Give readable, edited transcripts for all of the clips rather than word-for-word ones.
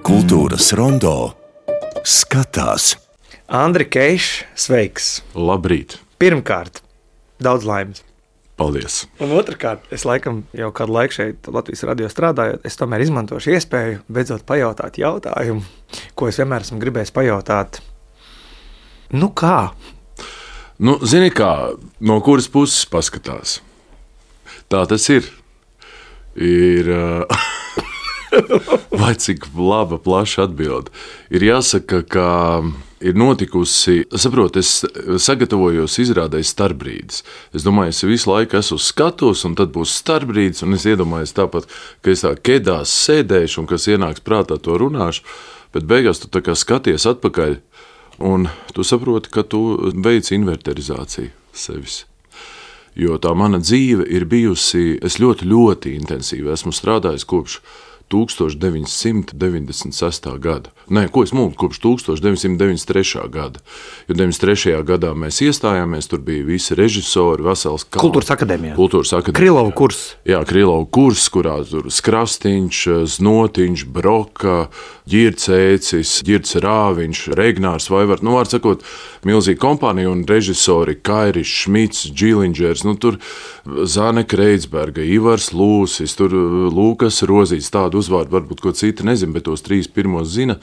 Kultūras rondo skatās. Andri Keišs, sveiks! Labrīt! Pirmkārt, daudz laimes. Paldies! Un otrkārt, es laikam jau kādu laiku šeit Latvijas radio strādājot, es tomēr izmantošu iespēju beidzot pajautāt jautājumu, ko es vienmēr esmu gribējis pajautāt. Nu kā? Zini kā, no kuras puses paskatās? Tā tas ir. Vai cik laba, plaša atbilde. Ir jāsaka, ka ir notikusi, saprot, es sagatavojos izrādēji starpbrīdis. Es domāju, es visu laiku esmu uz skatuves, un tad būs starpbrīdis, un es iedomājos tāpat, ka es tā kedās sēdēšu, un kas ienāks prātā, to runāšu, bet beigās tu tā kā skaties atpakaļ, un tu saproti, ka tu veic inverterizāciju sevis. Jo tā mana dzīve ir bijusi, es ļoti intensīvi esmu strādājis kopš 1996. gada. Nē, ko es mūku, kopš 1993. gada. Jo 93. gadā mēs iestājāmies, tur bija visi režisori, vesels kalns. Kultūras akadēmijā. Krilovu kurs. Jā, Krilovu kurs, kurā tur Skrastiņš, Znotiņš, Broka, Ģircēcis, Ģirts Rāviņš, Regnārs Vaivart, var sakot, milzīga kompānija un režisori Kairis Šmits, Džilindžers, tur Zane Kreitsberga, Ivars Lūsis, tur Lūkas Rozīts, tādu uzvārdu varbūt ko citi nezin, bet tos 3 pirmos zina.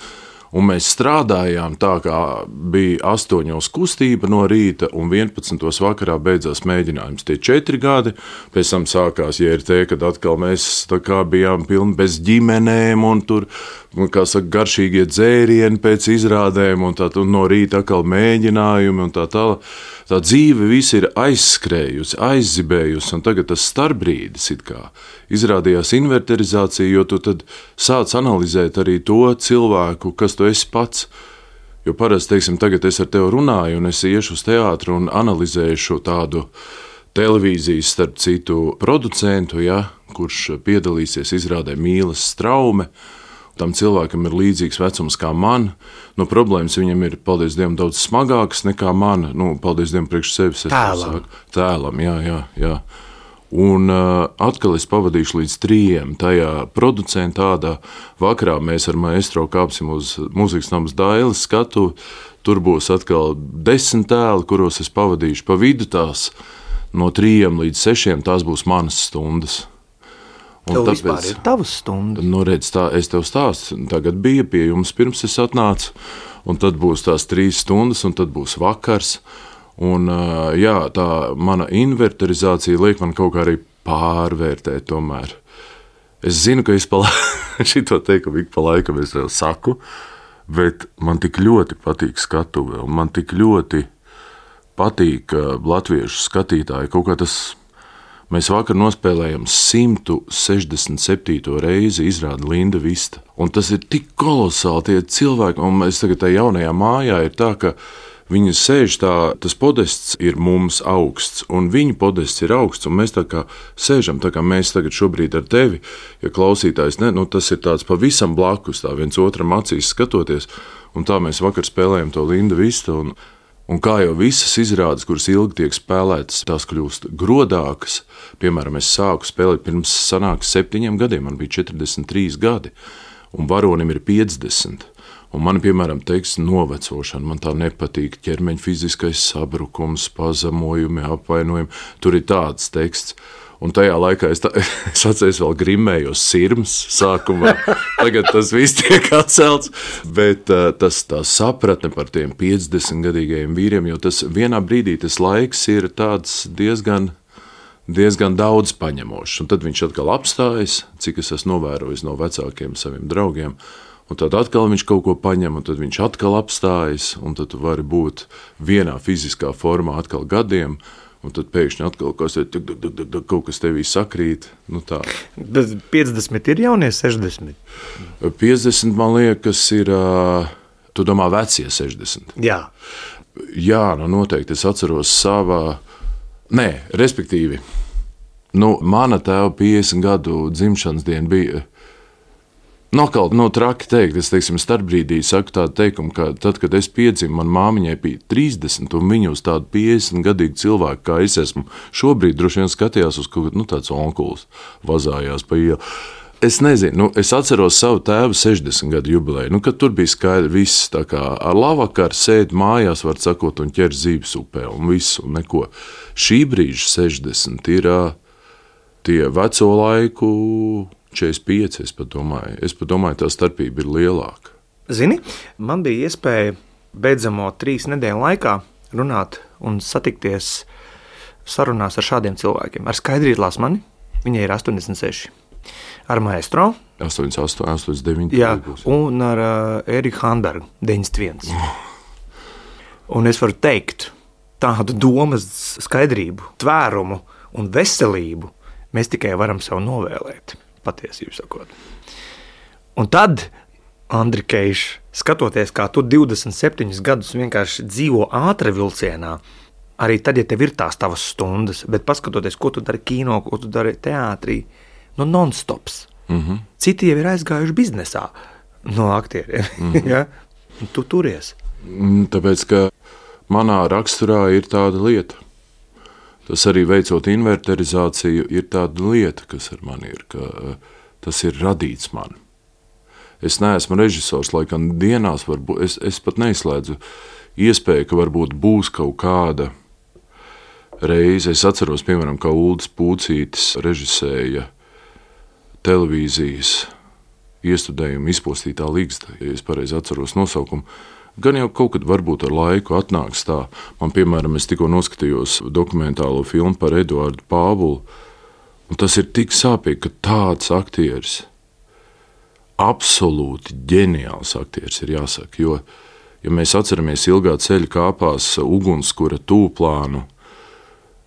Un mēs strādājām tā, kā bija 8 kustība no rīta un 11 vakarā beidzās mēģinājums. Tie 4 gadi, pēc tam sākās JRT, kad atkal mēs tā kā bijām pilni bez ģimenēm un tur, kā saka, garšīgie dzērieni pēc izrādēm un tā no rīta atkal mēģinājumi un tā tālāk. Tā dzīve visi ir aizskrējusi, aizzibējusi, un tagad tas starpbrīdis it kā izrādījās inverterizācija, jo tu tad sāc analizēt arī to cilvēku, kas tu esi pats. Jo parasti, teiksim, tagad es ar tevi runāju, un es iešu uz teātru un analizēšu tādu televīzijas, starp citu, producentu, kurš piedalīsies izrādē Mīles Straume. Tam cilvēkam ir līdzīgs vecums kā man. Problēmas viņam ir, paldies Dievam, daudz smagākas nekā man. Paldies Dievam priekš sevis. Tēlam, jā. Un atkal es pavadīšu līdz 3 tajā producentā. Vakarā mēs ar maestro kāpsim uz Mūzikas namas Dailes skatu. Tur būs atkal 10 tēli, kuros es pavadīšu pa vidu tās. No 3 līdz 6 tās būs manas stundas. Tev vispār ir tavas stundas? Redz, tā, es tev stāstu. Tagad bija pie jums pirms es atnācu, un tad būs tās 3 stundas, un tad būs vakars. Un tā mana inverterizācija liek man kaut kā arī pārvērtēt tomēr. Es zinu, ka es šito teikumu ik pa laikam es tev saku, bet man tik ļoti patīk skatuve, un man tik ļoti patīk latviešu skatītāji. Kaut kā tas... Mēs vakar nospēlējam 167. reizi izrādi Linda Vista. Un tas ir tik kolosāli tie cilvēki, un mēs tagad tajā jaunajā mājā ir tā, ka viņi sēž tā, tas podests ir mums augsts, un viņu podests ir augsts, un mēs tā kā sēžam, tā kā mēs tagad šobrīd ar tevi, ja klausītājs, tas ir tāds pavisam blakus, tā viens otram acīs skatoties, un tā mēs vakar spēlējam to Linda Vista, un kā jau visas izrādes, kuras ilgi tiek spēlētas, tās kļūst grodākas. Piemēram, es sāku spēlēt pirms 7 gadiem, man bija 43 gadi, un varonim ir 50. Un man, piemēram, teksts novecošana, man tā nepatīk, ķermeņa fiziskais sabrukums, pazemojumi, apvainojumi, tur ir tāds teksts. Un tajā laikā es atceros vēl grimējos sirms sākumā. Tagad tas viss tiek atcelts, bet tā sapratne par tiem 50-gadīgajiem vīriem, jo tas vienā brīdī tas laiks ir tāds diezgan daudz paņemošs. Un tad viņš atkal apstājas, cik es esmu novērojis no vecākiem saviem draugiem, un tad atkal viņš kaut ko paņem, un tad viņš atkal apstājas, un tad tu vari būt vienā fiziskā formā atkal gadiem, un tad pēkšņi atkal kaut kas tevī sakrīt. Bet 50 ir jaunie 60? 50, man liekas, ir, tu domā, vecie 60? Jā. Jā, noteikti. Es atceros respektīvi, mana tēva 50 gadu dzimšanas diena bija. Traki teikt, es starpbrīdī saku tādu teikumu, ka tad, kad es piedzimu, man māmiņai bija 30, un viņa uz tādu 50-gadīgu cilvēku, kā es esmu, šobrīd droši vien skatījās uz kaut kādu tāds onkulis, vazājās pa ielu. Es nezinu, es atceros savu tēvu 60 gadu jubileju, kad tur bija skaidrs, viss tā kā ar lavakaru sēdi mājās, var sakot, un ķer zīves upē, un viss, un neko. Šī brīža 60 ir tie veco laiku 45, es pat domāju, tā starpība ir lielāka. Zini, man bija iespēja beidzamo 3 nedēļu laikā runāt un satikties sarunās ar šādiem cilvēkiem. Ar Skaidrītu Lasmani, viņai ir 86. Ar maestro 88, 89. Jā, un ar Eriku Hanbergu 91. Un es varu teikt, tādu domas skaidrību, tvērumu un veselību mēs tikai varam sev novēlēt, patiesību sakot. Un tad, Andri Keiš, skatoties, kā tu 27 gadus vienkārši dzīvo ātri vilcienā, arī tad, ja tev ir tās tavas stundas, bet paskatoties, ko tu dari kino, ko tu dari teātrī, non-stops. Citi jau ir aizgājuši biznesā no aktieriem. Ja? Tu turies. Tāpēc, ka manā raksturā ir tāda lieta. Tas arī veicot inverterizāciju, ir tāda lieta, kas ar mani ir, ka tas ir radīts man. Es neesmu režisors, lai gan dienās varbūt, es pat neizslēdzu iespēju, ka varbūt būs kaut kāda reize. Es atceros, piemēram, kā Uldis Pūcītis režisēja televīzijas iestudējumu Izpostītā ligzda, ja es pareizi atceros nosaukumu. Gan jau kaut kad varbūt ar laiku atnāks tā. Man, piemēram, es tikko noskatījos dokumentālo filmu par Eduardu Pāvulu, un tas ir tik sāpīgi, ka tāds aktieris, absolūti ģeniāls aktieris ir jāsaka, jo, ja mēs atceramies Ilgā ceļa kāpās ugunskura tūplānu,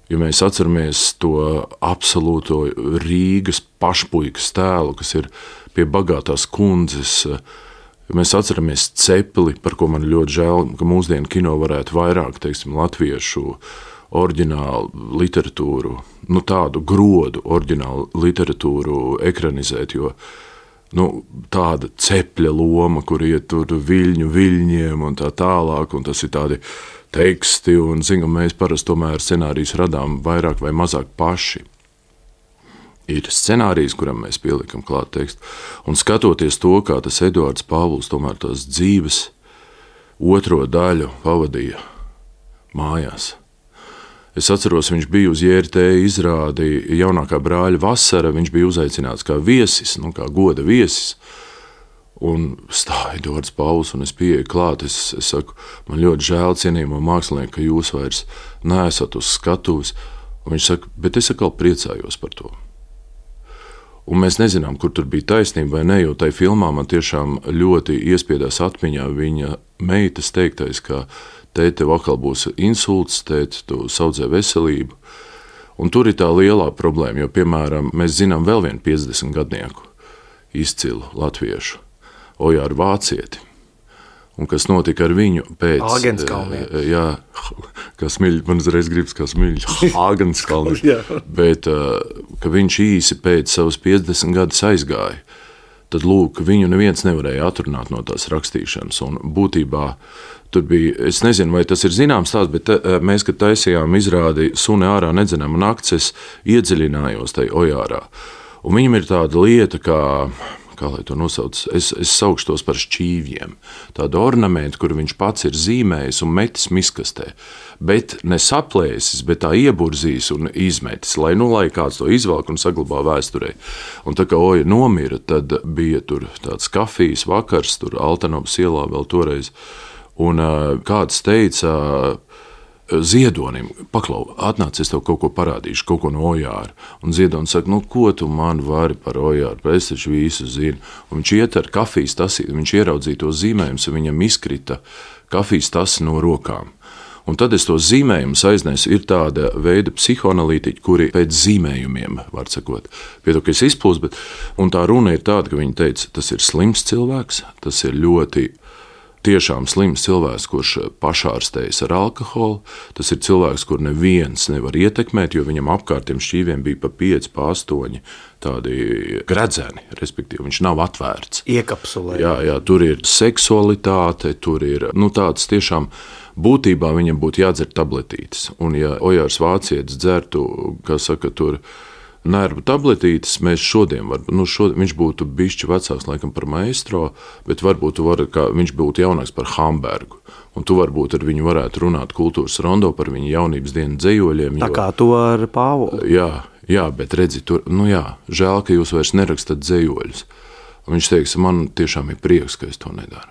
ja mēs atceramies to absolūto Rīgas pašpuikas tēlu, kas ir pie bagātās kundzes, ja mēs atceramies Cepeli, par ko man ļoti žēl, ka mūsdienu kino varētu vairāk, teiksim, latviešu oriģinālu literatūru, tādu grodu oriģinālu literatūru ekranizēt, jo tāda cepļa loma, kur iet tur viļņiem un tā tālāk, un tas ir tādi teksti, un mēs parasti tomēr scenārijus radām vairāk vai mazāk paši. Ir scenārijs, kuram mēs pielikam klāt tekstu, un skatoties to, kā tas Eduards Pāvuls tomēr tās dzīves otro daļu pavadīja mājās. Es atceros, viņš bija uz JRT izrādi jaunākā brāļa Vasara, viņš bija uzaicināts kā viesis, kā goda viesis, un stāja Eduards Pāvuls, un es pieeju klāt, es saku, man ļoti žēl cienījamo mākslinieku, ka jūs vairs neesat uz skatuves, un viņš saka, bet es atkal priecājos par to. Un mēs nezinām, kur tur bija taisnība vai ne, jo tai filmā man tiešām ļoti iespiedās atmiņā viņa meitas teiktais, ka tēti, tev atkal būs insults, tēti, tu saudzē veselību. Un tur ir tā lielā problēma, jo, piemēram, mēs zinām vēl vienu 50 gadnieku izcilu latviešu, Ojāru Vācieti. Un kas notika ar viņu pēc... Āgenskalnē. Jā, kā Smiļš, man uzreiz gribas kā Smiļš, Āgenskalnē. Bet, ka viņš īsi pēc savas 50 gadus aizgāja, tad, lūk, viņu neviens nevarēja atrunāt no tās rakstīšanas. Un būtībā tur bija, es nezinu, vai tas ir zināms tās, bet mēs, kad taisījām izrādi Suni ārā nedzenama nakts, es iedziļinājos tai Ojārā. Un viņam ir tāda lieta, kā lai to nosauc, es saukšu tos par šķīvjiem. Tāda ornamenta, kur viņš pats ir zīmējis un metis miskastē. Bet ne saplēsis, bet tā ieburzījis un izmetis, lai kāds to izvelk un saglabā vēsturē. Un tā kā Oja nomira, tad bija tur tāds kafijas vakars, tur Altanovas ielā vēl toreiz. Un kāds teica Ziedonim, paklau, atnāc, es tev kaut ko parādīšu, kaut ko no Ojāra. Un Ziedonis saka, ko tu man vari par Ojāru, es taču visu zinu. Un viņš iet ar kafijas tasi, viņš ieraudzīja to zīmējumus, un viņam izkrita kafijas tasi no rokām. Un tad es to zīmējumus aiznesu, ir tāda veida psihoanalītiķi, kuri pēc zīmējumiem, var sakot, piedod, ka es izplūstu, un tā runa ir tāda, ka viņi teica, tas ir slims cilvēks, tas ir ļoti tiešām slims cilvēks, kurš pašārstējas ar alkoholu. Tas ir cilvēks, kur neviens nevar ietekmēt, jo viņam apkārt tiem šķīviem bija pa 5, pa 8 tādi gredzeni, respektīvi viņš nav atvērts. Iekapsulē. Jā, tur ir seksualitāte, tur ir tāds tiešām būtībā viņam būtu jādzer tabletītes. Un ja Ojārs Vācietis dzertu, kā saka, tur nervu tabletītes mēs šodien viņš būtu bišķi vecāks laikam par maestro, bet varbūt viņš būtu jaunāks par Hambergu. Un tu varbūt ar viņu varētu runāt kultūras rondo par viņu jaunības dienu dzejoļiem. Tā kā to ar Pāvolu. Jā, bet redzi, žēl, ka jūs vairs nerakstat dzejoļus. Un viņš teiks, man tiešām ir prieks, ka es to nedaru.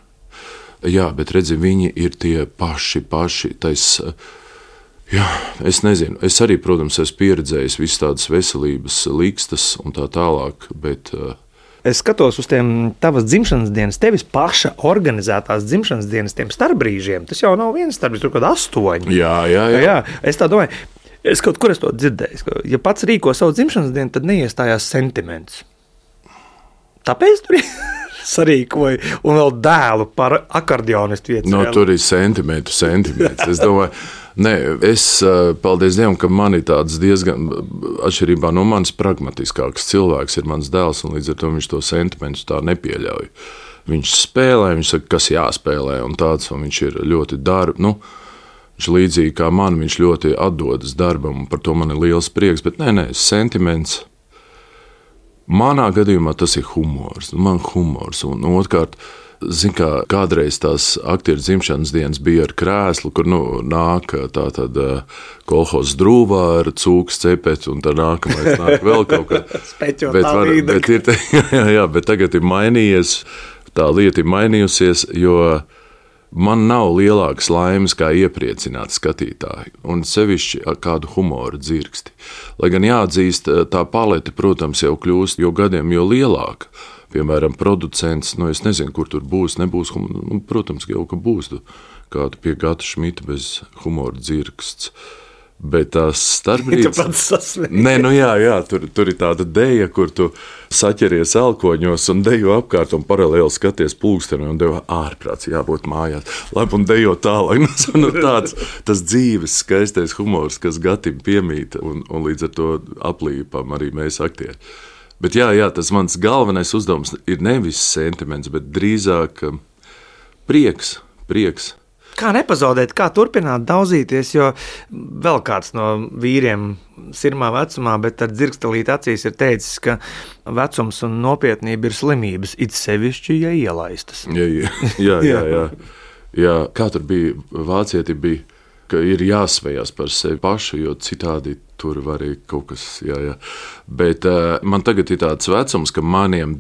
Jā, bet redzi, viņi ir tie paši, jā, es nezinu. Es arī, protams, esmu pieredzējis visas tādas veselības likstas un tā tālāk, bet... Es skatos uz tiem tavas dzimšanas dienas, tevis paša organizētās dzimšanas dienas, tiem starpbrīžiem. Tas jau nav viens starpbrīžs, tur kaut 8. Jā. Es tā domāju, kaut kur es to dzirdēju. Ja pats rīko savu dzimšanas dienu, tad neiestājās sentiments. Tāpēc tur sarīkoju un vēl dēlu par akordeonistu vietu. Tur ir sentiments. Es domāju, paldies Dievam, ka man ir tāds diezgan, atšķirībā no manis, pragmatiskāks cilvēks ir mans dēls, un līdz ar to viņš to sentimentu tā nepieļauj. Viņš spēlē, viņš saka, kas jāspēlē, un viņš ir ļoti viņš līdzīgi kā man, viņš ļoti atdodas darbam, un par to man ir liels prieks, bet sentiments. Manā gadījumā tas ir humors, un otrkārt, kādreiz tās aktieru dzimšanas dienas bija ar krēslu, kur nāk tātad kolhozs drūvā ar cūkas cepeti, un tad nākamais nāk vēl kaut kā. Bet tagad ir mainījies, tā lieta ir mainījusies, jo man nav lielākas laimes kā iepriecināt skatītāju, un sevišķi kādu humoru dzirksti. Lai gan jāatzīst, tā palete, protams, jau kļūst jo gadiem, jo lielāka. Piemēram, producents, es nezinu, kur tur būs, nebūs, protams, jau ka būs kādu pie Gata Šmita bez humora dzirksts. Bet tās starpbrīdis... Tur ir tāda deja, kur tu saķeries elkoņos un dejo apkārt un paralēli skaties pulksteni un dejo ārprāts, jābūt mājās. Labi, un dejo tālāk. Tas dzīves skaistais humors, kas Gatim piemīt, un līdz ar to aplīpam arī mēs aktieri. Bet tas mans galvenais uzdevums ir nevis sentiments, bet drīzāk prieks. Kā nepazaudēt, kā turpināt daudzīties, jo vēl kāds no vīriem sirmā vecumā, bet ar dzirkstelīt acīs ir teicis, ka vecums un nopietnība ir slimības, it sevišķi, ja ielaistas. Jā. Kā tur bija, vācieti bija, ka ir jāsmējās par sevi pašu, jo citādi tur var arī kaut kas, Bet man tagad ir tāds vecums, ka maniem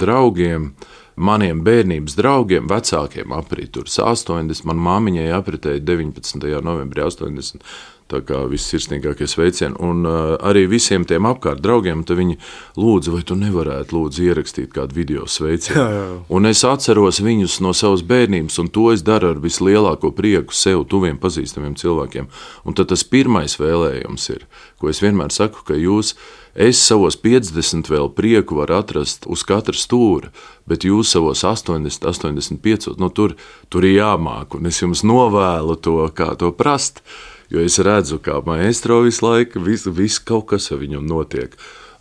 bērnības draugiem, vecākiem aprit tur 80, man māmiņai apritēja 19. novembrī 80, tā kā vissirsnīgākie sveicieni, un arī visiem tiem apkārt draugiem, tad viņi lūdza, vai tu nevarētu ierakstīt kādu video sveicienu. Un es atceros viņus no savas bērnības, un to es daru ar vislielāko prieku sev tuviem pazīstamiem cilvēkiem. Un tad tas pirmais vēlējums ir, ko es vienmēr saku, ka es savos 50 vēl prieku varu atrast uz katra stūra, bet jūs savos 80, 85, tur ir jāmāk, un es jums novēlu to, kā to prast. Jo es redzu, kā maestro visu laiku, viss kaut kas ar viņu notiek.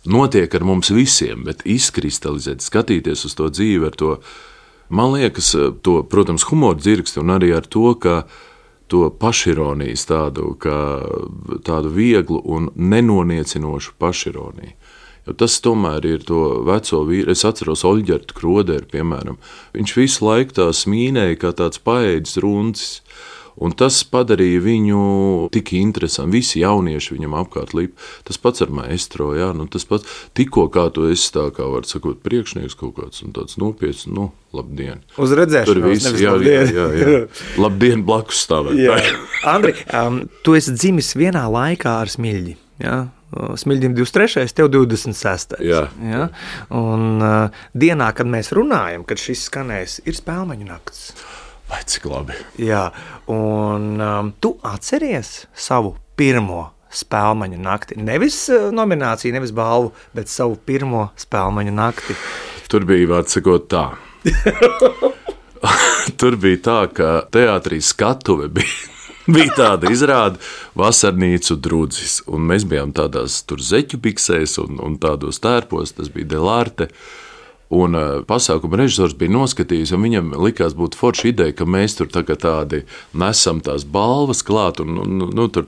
Notiek ar mums visiem, bet izkristalizēt, skatīties uz to dzīvi ar to, man liekas, to, protams, humoru dzirksti un arī ar to, ka to pašironijas tādu vieglu un nenoniecinošu pašironiju. Jo tas tomēr ir to veco vīru. Es atceros Oļģertu Kroderu, piemēram. Viņš visu laiku tā smīnēja kā tāds paēdis runcis. Un tas padarīja viņu tik interesantu. Visi jaunieši viņam apkārt līp. Tas pats ar maestro, tas pats. Tikko kā tu esi tā, kā var sakot, priekšnieks kaut kāds un tāds nopietns, labdien. Uz redzēšanos, nevis labdien. Jā. Labdien blakus stāvēt. Andri, tu esi dzimis vienā laikā ar Smiļģi, Smiļģim 23, tev 26. Jā. Un dienā, kad mēs runājam, kad šis skanēs, ir Spēlmeņu nakts. Vai cik labi. Jā, un tu atceries savu pirmo Spēlmeņu nakti? Nevis nomināciju, nevis balvu, bet savu pirmo Spēlmeņu nakti. Tur bija, vārds sakot, tā. Tur bija tā, ka teātrī skatuve bija tāda izrāde Vasarnīcu drudzis. Un mēs bijām tādās tur zeķu biksēs un tādos tērpos, tas bija Delarte. Un pasākuma režisors bija noskatījis, un viņam likās būt forša ideja, ka mēs tur tādi nesam tās balvas klāt, un tur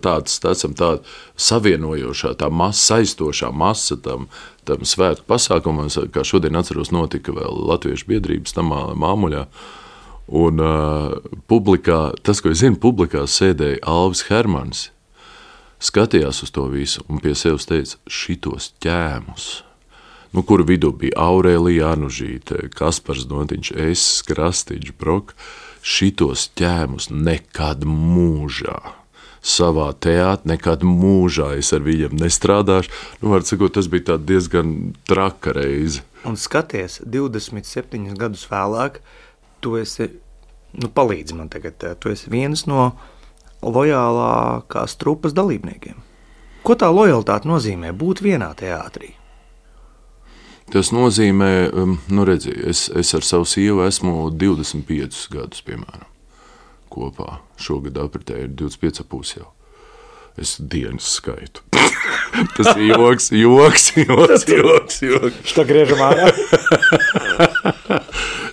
esam tāda savienojošā, tā saistošā masa tam svētku pasākumam, kā šodien atceros notika vēl Latviešu biedrības tamā Māmuļā. Un publikā, tas, ko es zinu, publikā sēdēja Alvis Hermans, skatījās uz to visu un pie sevis teica, šitos ķēmus, kuru vidū bija Aurēlija Anužīte, Kaspars Dontiņš, es, Krastīģis, Brok, šitos ķēmus nekad mūžā. Savā teātrī nekad mūžā es ar viņiem nestrādāšu. Var sakot, tas bija tā diezgan traka reize. Un skaties, 27 gadus vēlāk, tu esi, palīdzi man tagad, tu esi viens no lojālākās trupas dalībniekiem. Ko tā lojalitāte nozīmē būt vienā teātrī? Tas nozīmē, redzi, es ar savu sievu esmu 25 gadus, piemēram, kopā. Šogad apritē ir 25,5 jau. Es dienas skaitu. Tas ir joks. Šta griežam ārā?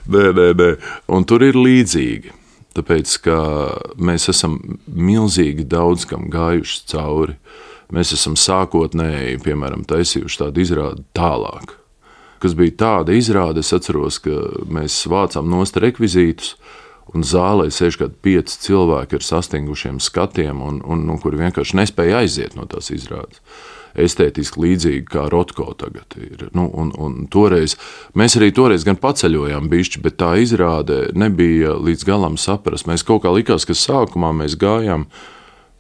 Nē. Un tur ir līdzīgi. Tāpēc, ka mēs esam milzīgi daudz kam gājuši cauri. Mēs esam sākotnēji, piemēram, taisījuši tādu izrādi Tālāk. Kas bija tāda izrāde, es atceros, ka mēs vācām nost rekvizītus, un zālē sēž kādi 5 cilvēki ar sastingušiem skatiem, un kuri vienkārši nespēja aiziet no tās izrādes. Estētiski līdzīgi kā Rotko tagad ir. Un toreiz, mēs arī toreiz gan paceļojām bišķi, bet tā izrāde nebija līdz galam saprast. Mēs kaut kā likās, ka sākumā mēs gājām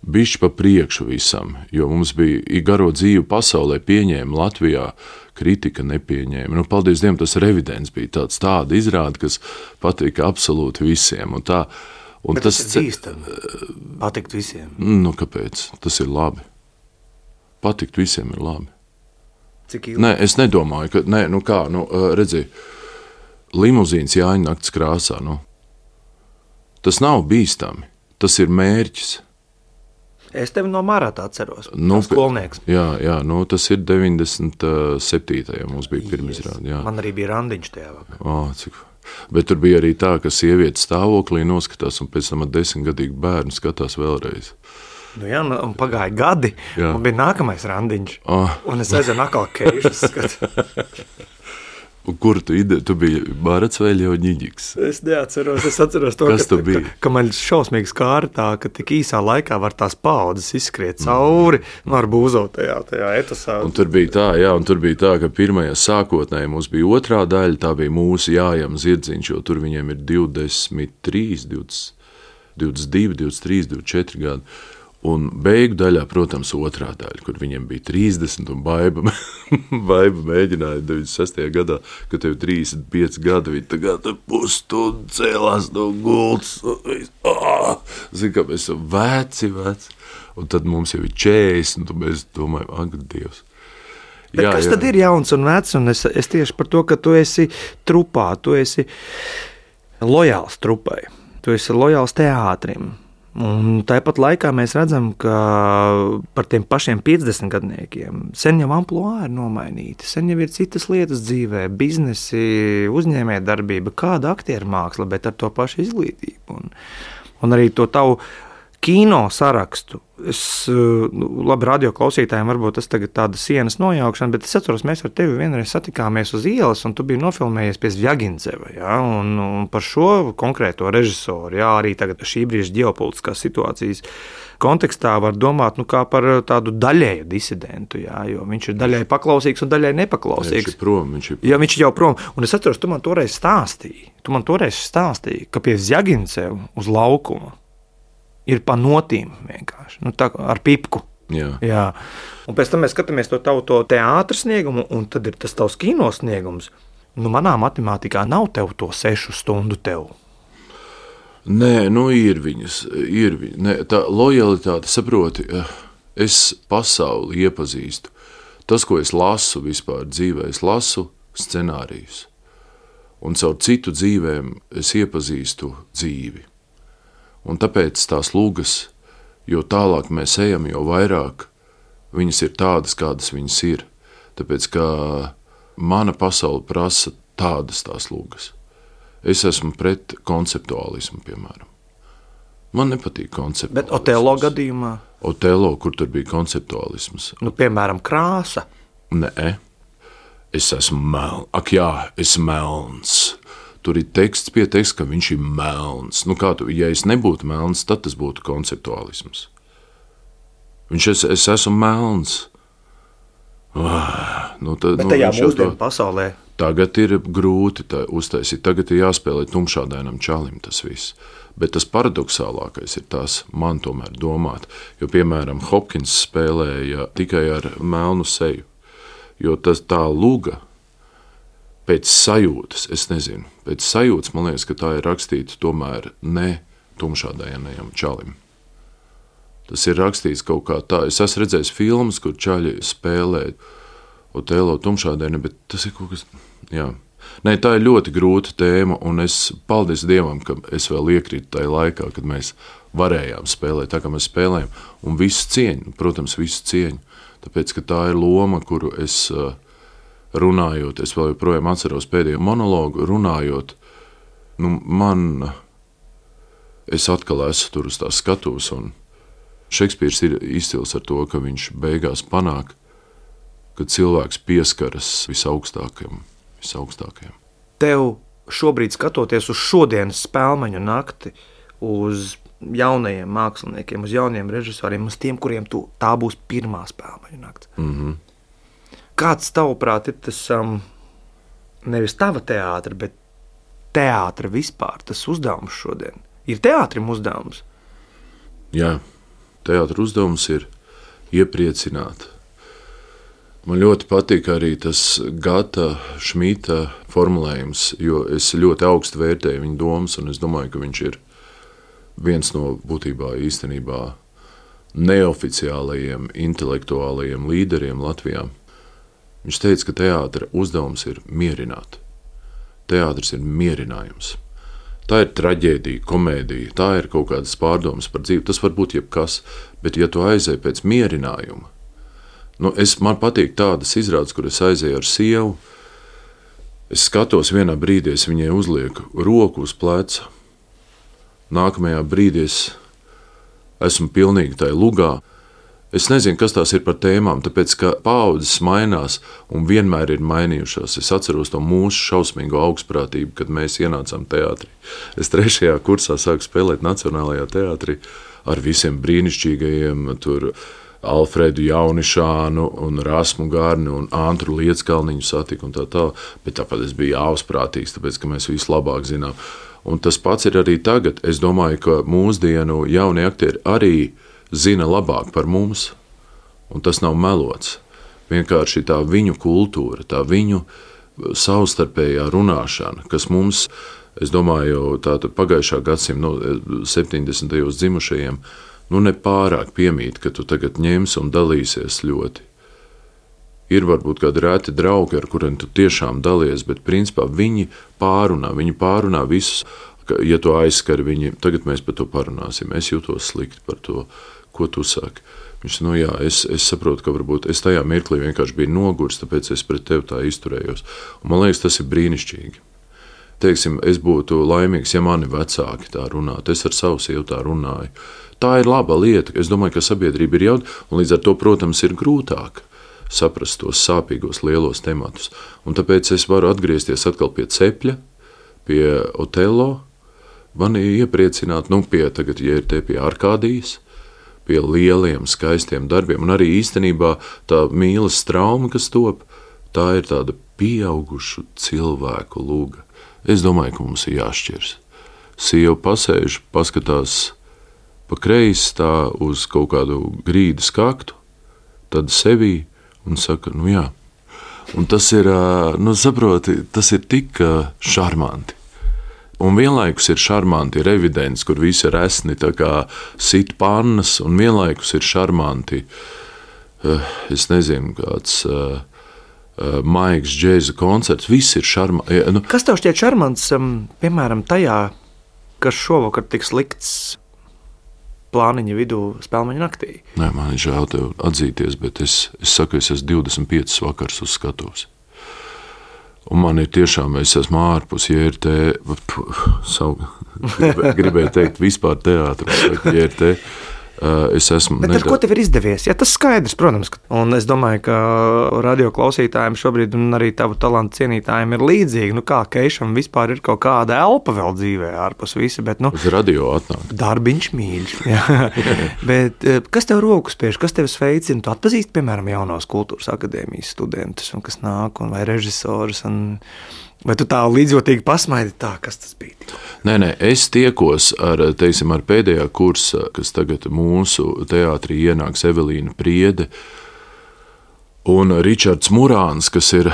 bišķi pa priekšu visam, jo mums bija garo dzīvi pasaulē pieņēma Latvijā, kritika nepieņēma. Paldies Dievam, tas Revidents bija tāda izrāde, kas patika absolūti visiem. Bet tas ir bīstami, patikt visiem. Kāpēc? Tas ir labi. Patikt visiem ir labi. Cik ilgi? Nē, es nedomāju, ka, redzi, limuzīns Jāņa nakts krāsā, tas nav bīstami, tas ir mērķis. Es tevi no Marata atceros, skolnieks. Jā, tas ir 97. mums bija pirmizrāde. Man arī bija randiņš tajā vakarā. Bet tur bija arī tā, ka sieviete stāvoklī noskatās, un pēc tam ar 10-gadīgu bērnu skatās vēlreiz. Un pagāja gadi, un bija nākamais randiņš, un es aizvienu atkal keišas skatu. Un kur tu biji Marats vai Ļoņiģiks? Es neatceros, es atceros to, ka man šausmīgi skāra tā, ka tik īsā laikā var tās paudzes izskriet cauri, ar būzot tajā etasā. Un tur bija tā, ka pirmajā sākotnēji mums bija otrā daļa, tā bija mūsu Jājam Zirdziņš, jo tur viņiem ir 23, 22, 23, 24 gadi. Un beigu daļā, protams, otrā daļa, kur viņiem bija 30, un Baiba mēģināja 96. gadā, kad tev 35 gadi, viņi tagad pusstundu cēlās no gultas. Zini, kā mēs esam veci, un tad mums jau ir 40, un mēs domājam, ak, Dievs. Bet kas tad ir jauns un vecs, un es tieši par to, ka tu esi trupā, tu esi lojāls trupai, tu esi lojāls teātrim. Un tāpat laikā mēs redzam, ka par tiem pašiem 50 gadniekiem sen jau ampluā ir nomainīti, sen jau ir citas lietas dzīvē, biznesi, uzņēmējdarbība, kāda aktieru māksla, bet ar to pašu izglītību. Un arī to tavu kino sarakstu. Labi, radio klausītājiem varbūt tas tagad tāda sienas nojaukšana, bet es atceros, mēs ar tevi vienreiz satikāmies uz ielas, un tu biji nofilmējies pie Zvjagindzeva, un par šo konkrēto režisoru, arī tagad šī brīža ģeopolitiskās situācijas kontekstā var domāt, kā par tādu daļēju disidentu, jo viņš ir daļēji paklausīgs un daļēji nepaklausīgs. Viņš ir prom. Jā, viņš ir jau prom, un es atceros, tu man toreiz stāstīji, ka pie Zvjagindzeva uz laukuma ir pa notīm vienkārši, tā ar pipku. Jā. Un pēc tam mēs skatāmies to tavu teātra sniegumu, un tad ir tas tavs kino sniegums. Manā matemātikā nav tev to 6 stundu tev. Nē, ir viņas. Nē, tā lojalitāte, saproti, es pasauli iepazīstu. Tas, ko es lasu vispār dzīvē, es lasu scenārijus. Un caur citu dzīvēm es iepazīstu dzīvi. Un tāpēc tās lugas, jo tālāk mēs ejam, jo vairāk viņas ir tādas, kādas viņas ir. Tāpēc, ka mana pasaule prasa tādas tās lūgas. Es esmu pret konceptuālismu, piemēram. Man nepatīk konceptuālisms. Bet Otello gadījumā? Otello, kur tur bija konceptuālisms? Piemēram, krāsa. Nē, es esmu melns. Ak jā, es melns. Tur ir teksts pie teksta, ka viņš ir melns. Ja es nebūtu melns, tad tas būtu konceptuālisms. Es esmu melns. Bet tajā mūsdienu pasaulē. Tagad ir grūti uztaisīt, tagad ir jāspēlē tumšādainam čalim tas viss. Bet tas paradoxālākais ir tas, man tomēr domāt, jo, piemēram, Hopkins spēlēja tikai ar melnu seju, jo tā luga pēc sajūtas, es nezinu, pēc sajūtas, man liekas, ka tā ir rakstīta tomēr ne tumšādainajam čalim. Tas ir rakstīts kaut kā tā, es esmu redzējis filmas, kur čaļi spēlē Otello tumšādaini, bet tas ir kaut kas, jā. Nē, tā ir ļoti grūta tēma, un es paldies Dievam, ka es vēl iekrītu tajā laikā, kad mēs varējām spēlēt, tā kā mēs spēlējam, un visu cieņu, protams, visu cieņu, tāpēc, ka tā ir loma, kuru es runājot, es vēl joprojām atceros pēdējo monologu, runājot, es atkal esmu tur uz tās skatuves, un Šekspīrs ir izcils ar to, ka viņš beigās panāk, kad cilvēks pieskaras visaugstākajam. Tev šobrīd skatoties uz šodienas Spēlmaņu nakti, uz jaunajiem māksliniekiem, uz jauniem režisoriem, uz tiem, kuriem tā būs pirmā Spēlmaņu nakts. Mm-hmm. Kāds tavuprāt ir tas, nevis tava teātra, bet teātra vispār, tas uzdevums šodien? Ir teātrim uzdevums? Jā, teātra uzdevums ir iepriecināt. Man ļoti patīk arī tas Gata Šmita formulējums, jo es ļoti augstu vērtēju viņa domas, un es domāju, ka viņš ir viens no būtībā īstenībā neoficiālajiem intelektuālajiem līderiem Latvijā. Viņš teica, ka teātra uzdevums ir mierināt. Teātris ir mierinājums. Tā ir traģēdija, komēdija, tā ir kaut kādas pārdomas par dzīvi. Tas var būt jebkas, bet ja tu aizēji pēc mierinājuma, man patīk tādas izrādes, kur es aizēju ar sievu. Es skatos vienā brīdī, es viņai uzlieku roku uz pleca. Nākamajā brīdī es esmu pilnīgi tajā lugā. Es nezinu, kas tās ir par tēmām, tāpēc, ka paaudzes mainās un vienmēr ir mainījušās. Es atceros to mūsu šausmīgo augstprātību, kad mēs ienācām teātrī. Es 3. kursā sāku spēlēt Nacionālajā teātrī ar visiem brīnišķīgajiem tur Alfredu Jaunišānu un Rasmu Gārni un Antru Lieckalniņu satiku un tā, bet tāpat es biju ausprātīgs, tāpēc, ka mēs visu labāk zinām. Un tas pats ir arī tagad. Es domāju, ka mūsdienu jaunie aktieri arī zina labāk par mums, un tas nav melots. Vienkārši tā viņu kultūra, tā viņu savstarpējā runāšana, kas mums, es domāju, tātad pagājušā gadsimta 70. dzimušajiem, nepārāk piemīt, ka tu tagad ņemsi un dalīsies ļoti. Ir varbūt kādi reti draugi, ar kuriem tu tiešām dalies, bet principā viņi pārunā visus, ja tu aizskari viņi, tagad mēs par to parunāsim, es jūtos slikti par to, ko tu saki. Viņš jā, es saprotu, ka varbūt es tajā mirklī vienkārši biju nogurs, tāpēc es pret tevi tā izturējos. Un man liekas, tas ir brīnišķīgi. Teiksim, es būtu laimīgs, ja mani vecāki tā runātu, es ar savu sievu tā runāju. Tā ir laba lieta, es domāju, ka sabiedrība ir jauna, un līdz ar to, protams, ir grūtāk saprast tos sāpīgos lielos tematus. Un tāpēc es varu atgriezties atkal pie Cepļa, pie Otello, mani iepriecināt, tagad, ja ir te pie Arkādijas, pie lieliem, skaistiem darbiem, un arī īstenībā tā mīlas trauma, kas top, tā ir tāda pieaugušu cilvēku lūga. Es domāju, ka mums ir jāšķirs. Sieva pasēž, paskatās pa kreisi tā uz kaut kādu grīdas kaktu, tad sevī un saka, jā. Un tas ir, saproti, tas ir tik šarmanti. Un vienlaikus ir šarmanti, ir evidents, kur visi ir esni, tā kā sit pannas, un vienlaikus ir šarmanti, es nezinu, kāds maigs džēza koncerts, viss ir šarmanti. Kas tev šķiet šarmants, piemēram, tajā, kas šovakar tiks likts plāniņa vidū Spēlmaņu naktī? Nē, man ir žēl tev atzīties, bet es saku, es esmu 25 vakars uz skatuves. Un man ir tiešām, es esmu ārpus JRT, gribēju teikt vispār teātris, JRT. Es esmu. Bet ar ko tev ir izdevies? Ja, tas skaidrs, protams. Un es domāju, ka radio klausītājiem šobrīd un arī tavu talantu cienītājiem ir līdzīgi. Kā Keišam vispār ir kaut kāda elpa vēl dzīvē ārpus visa, bet uz radio atnāk. Darbiņš mīļš. Bet kas tev rokas spiež, kas tev sveicina? Tu atpazīsti, piemēram, jaunos kultūras akadēmijas studentus, un kas nāk, un vai režisorus, vai tu tā līdzjūtīgi pasmaidi tā, kas tas bija? Nē, es tiekos ar pēdējā kursa, kas tagad mūsu teātrī ienāks Evelīna Priede un Ričards Murāns, kas ir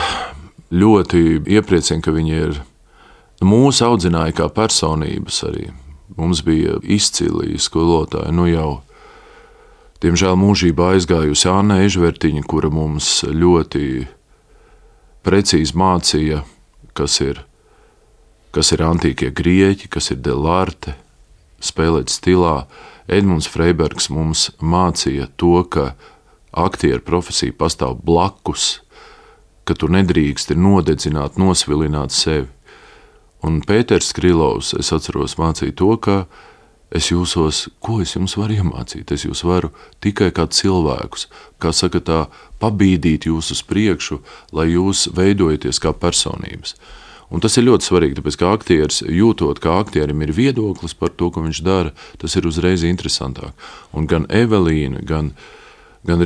ļoti iepriecina, ka viņi ir mūsu audzināja kā personības arī. Mums bija izcili skolotāji, jau diemžēl mūžībā aizgājusi Anna Ežvertiņa, kura mums ļoti precīzi mācīja, kas ir antīkie grieķi, kas ir Delarte, spēlēt stilā. Edmunds Freibergs mums mācīja to, ka aktieru profesija pastāv blakus, ka tu nedrīksti nodedzināt, nosvilināt sevi. Un Pēters Skrilovs, es atceros, mācīja to, ka ko es jums varu iemācīt? Es jūs varu tikai kā cilvēkus, kā saka tā, pabīdīt jūs uz priekšu, lai jūs veidojaties kā personības. Un tas ir ļoti svarīgi, tāpēc, ka aktieris, jūtot, ka aktierim ir viedoklis par to, ko viņš dara, tas ir uzreiz interesantāk. Un gan Evelīna, gan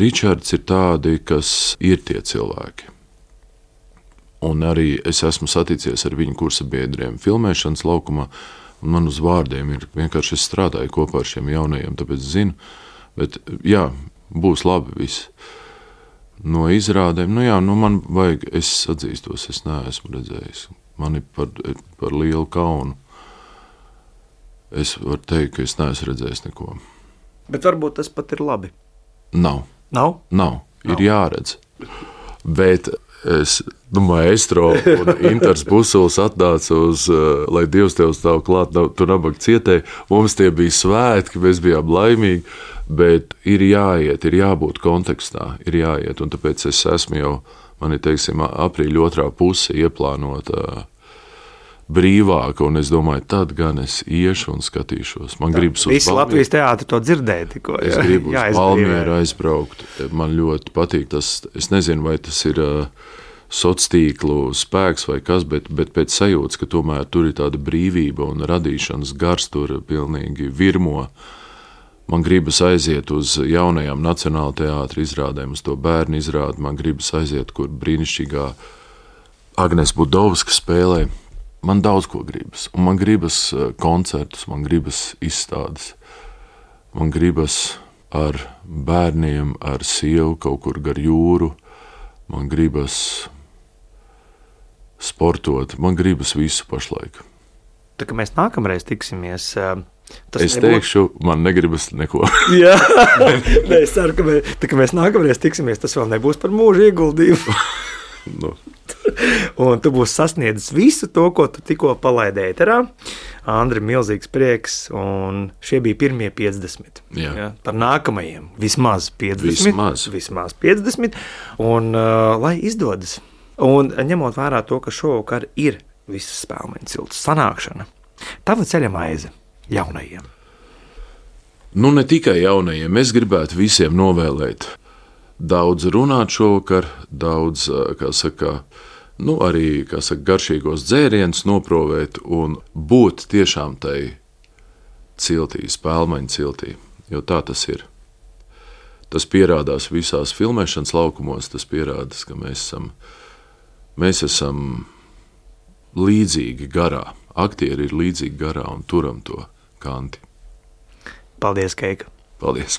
Ričards ir tādi, kas ir tie cilvēki. Un arī es esmu saticies ar viņu kursabiedriem filmēšanas laukumā, un man uz vārdiem ir vienkārši es strādāju kopā ar šiem jaunajiem, tāpēc zinu, bet jā, būs labi viss. No izrādēm, man vajag, es atzīstos, es neesmu redzējis. Man ir par lielu kaunu. Es varu teikt, ka es neesmu redzējis neko. Bet varbūt tas pat ir labi. Nav. Ir jāredz. Bet Maestro un Intars Busuls atnāca lai Dievs tev stāv klāt, tu nabaga cietē. Mums tie bija svētki, mēs bijām laimīgi, bet ir jāiet, ir jābūt kontekstā, ir jāiet. Un tāpēc es esmu jau, man ir, aprīļa 2. puse ieplānota brīvāka, un es domāju, tad gan es iešu un skatīšos. Man gribas uz Visi Latvijas teātri to dzirdēja tikko. Es gribu uz Valmieru aizbraukt. Man ļoti patīk tas, es nezinu, vai tas ir sociālo spēks vai kas, bet pēc sajūtas, ka tomēr tur ir tāda brīvība un radīšanas gars tur pilnīgi virmo. Man gribas aiziet uz jaunajām Nacionāla teātra izrādēm, uz to bērnu izrādi. Man gribas aiziet, kur brīnišķīgā Agnes Budovska spēlē. Man daudz ko gribas. Un man gribas koncertus, man gribas izstādes. Man gribas ar bērniem, ar sievu kaut kur gar jūru. Man gribas sportot. Man gribas visu pašlaik. Tā kā mēs nākamreiz tiksimies, es teikšu, man negribas neko. Jā, es ceru, ka mēs nākamreiz tiksimies, tas vēl nebūs par mūžu ieguldījumu. Un tu būsi sasniedzis visu to, ko tu tikko palaidi ēterā. Andri, milzīgs prieks, un šie bija pirmie 50. Jā. Par nākamajiem vismaz 50. Vismaz 50, un lai izdodas. Un ņemot vērā to, ka šovakar ir visas Spēlmeņa cilts sanākšana, tava ceļa maize jaunajiem. Ne tikai jaunajiem, es gribētu visiem novēlēt daudz runāt šovakar, daudz, arī, garšīgos dzērienus noprovēt un būt tiešām tai ciltī, Spēlmeņa ciltī, jo tā tas ir. Tas pierādās visās filmēšanas laukumos, tas pierādās, ka mēs esam līdzīgi garā. Aktieri ir līdzīgi garā un turam to kanti. Paldies, Keika! Paldies!